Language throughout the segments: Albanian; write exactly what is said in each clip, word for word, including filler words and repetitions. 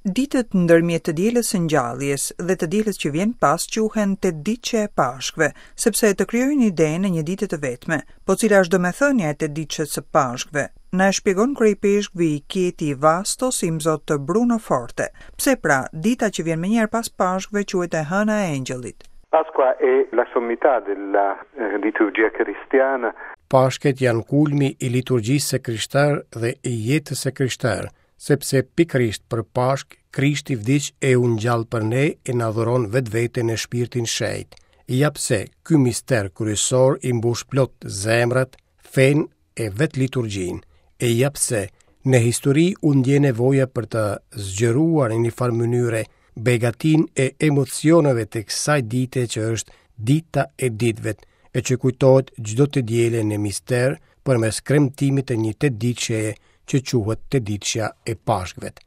Ditët ndërmjet të dielës së ngjalljes dhe të dielës që vjen pas quhen tetëditëshe e Pashkëve, sepse të krijojnë idenë e një dite të vetme. Po cila është domethënia e tetëditëshes së Pashkëve? Na e shpjegon kryeipeshkvi i Chieti Vastos, imzot Bruno Forte. Pse pra, dita që vjen menjëherë pas Pashkëve quhet e hëna e Engjëllit? Pasqua è la sommità della eh, liturgia cristiana. Pashkët janë kulmi i liturgjisë së krishterë dhe i jetës së krishterë, sepse pikërisht për Pashkë Krishti vdiq e u ngjall për ne e na dhuron vetveten e shpirtin shenjt. Ja pse ky mister kryesor i mbush plot zemrat, fenë e vetë liturgjinë. E ja pse në histori u ndje nevoja për të zgjeruar në një farë mënyre begatinë e emocioneve të kësaj dite që është dita e ditëve, e që kujtohet çdo të diele në mister përmes kremtimit të një tetëditësheje që quhet tetëditëshja e Pashkëve.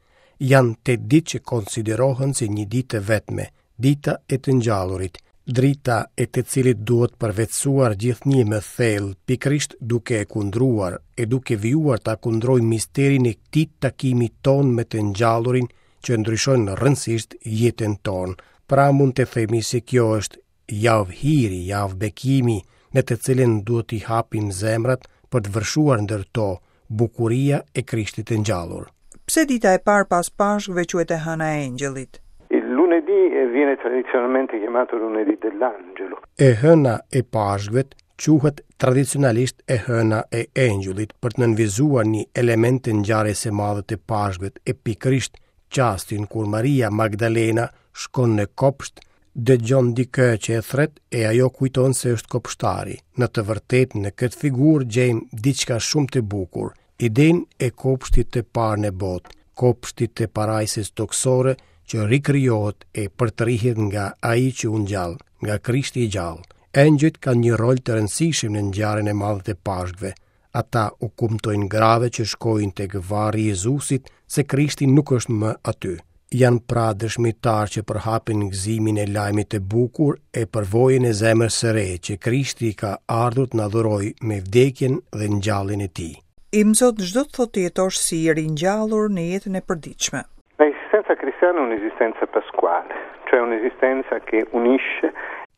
Janë tetë ditë që konsiderohen si një ditë të vetme, dita e të ngjallurit, drita e të cilit duhet përvetësuar gjithnjë më thellë, pikërisht duke e kundruar e duke vijuar ta kundrojë misterin e këtij takimi tonë me të ngjallurin që ndryshon rrënësisht jetën tonë. Pra mund të themi se kjo është javë hiri, javë bekimi, në të cilën duhet t'i hapim zemrat për të vërshuar ndër to bukuria e Krishtit të ngjallur. Pse dita e parë pas Pashkëve quhet e hëna e Engjëllit? Il lunedì viene tradizionalmente chiamato lunedì dell'angelo. E hëna e Pashkëve quhet tradicionalisht e hëna e Engjëllit për të nënvizuar një element të ngjarjes së madhe të Pashkëve, e pikërisht çastin kur Maria Magdalena shkon në kopsht, dëgjon dikë që e thret e ajo kujton se është kopshtari. Në të vërtetë në këtë figurë gjejmë diçka shumë të bukur, idenë e kopshtit të parë në botë, kopshtit të parajsës tokësore që rikrijohet e përtërihet nga ai që u ngjall, nga Krishti i gjallë. Engjëjt kanë një rol të rëndësishëm në ngjarjen e madhe të Pashkëve. Ata u kumtojnë grave që shkojnë tek varri i Jezusit se Krishti nuk është më aty. Janë pra dëshmitar që përhapin gëzimin e lajmit të bukur e përvojën e zemrës së re që Krishti ka ardhur të na dhurojë me vdekjen dhe ngjalljen e tij. Imzot, ç'do të thotë të jetosh si i ringjallur në jetën e përditshme? L'esistenza cristiana è un'esistenza pasquale, cioè un'esistenza che unisce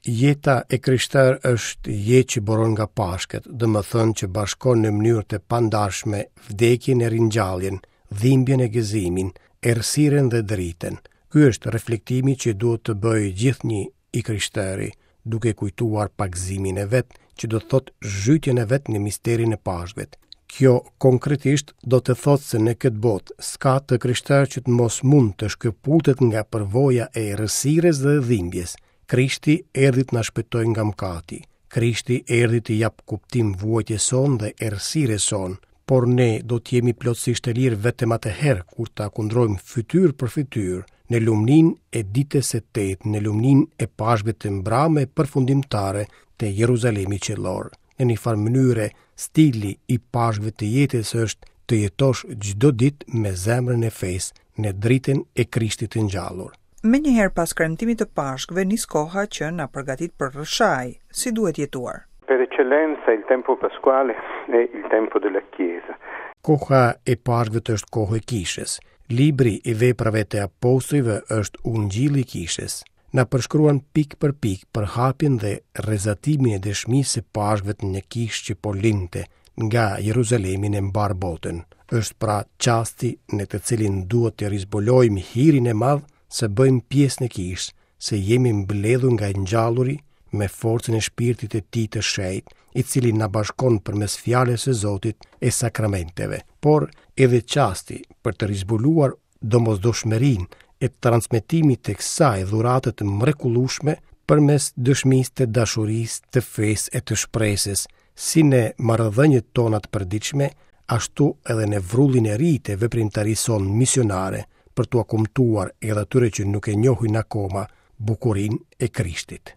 Jeta e krishterë është jetë që buron nga Pashkët, domethënë që bashkon në mënyrë të pandarshme vdekjen e ringjalljen, dhimbjen e gëzimin, errësirën dhe dritën. Ky është reflektimi që duhet të bëjë gjithnjë i krishteri, duke kujtuar pagëzimin e vet, që do të thotë zhytjen e vet në misterin e Pashkëve. Kjo konkretisht do të thotë se në këtë botë s'ka të krishterë që të mos mund të shkëputet nga përvoja e errësirës dhe dhimbjes. Krishti erdhi të na shpëtojë nga mëkati. Krishti erdhi të jap kuptim vuajtjes sonë dhe errësirës sonë, por ne do të jemi plotësisht të lirë vetëm atëherë kur ta kundrojmë fytyrë për fytyrë në lumninë e ditës së tetë, në lumninë e Pashkëve të mbrame përfundimtare të Jeruzalemit qiellor. Në një farë mënyre, stili i Pashkëve të jetës është të jetosh çdo ditë me zemrën e fesë në dritën e Krishtit të ngjallur. Menjëherë pas kremtimit të Pashkëve nis koha që na përgatit për rrëshaj, si duhet jetuar. Per eccellenza il tempo pasquale è il tempo della Chiesa. Koha e Pashkëve është kohë e kishës. Libri i veprave të apostujve është ungjilli i kishës. Na përshkruan pikë për pikë përhapjen dhe rrezatimin e dëshmisë së Pashkëve në kishë që po lindte nga Jeruzalemi në mbar botën. Është pra çasti në të cilin duhet të rizbulojmë hirin e madh se bëjmë pjesë në kishë, se jemi mbledhur nga i ngjalluri me forcën e shpirtit të tij të shenjtë, i cili na bashkon përmes fjalës së Zotit e sakramenteve, por edhe çasti për të rizbuluar domosdoshmërinë e transmetimit të kësaj dhurate të mrekullueshme përmes dëshmisë të dashurisë, të fesë e të shpresës, si në marrëdhëniet tona të përditshme, ashtu edhe në vrullin e ri të veprimtarisë sonë misionare, për t'ua kumtuar edhe atyre që nuk e njohin akoma bukurinë e Krishtit.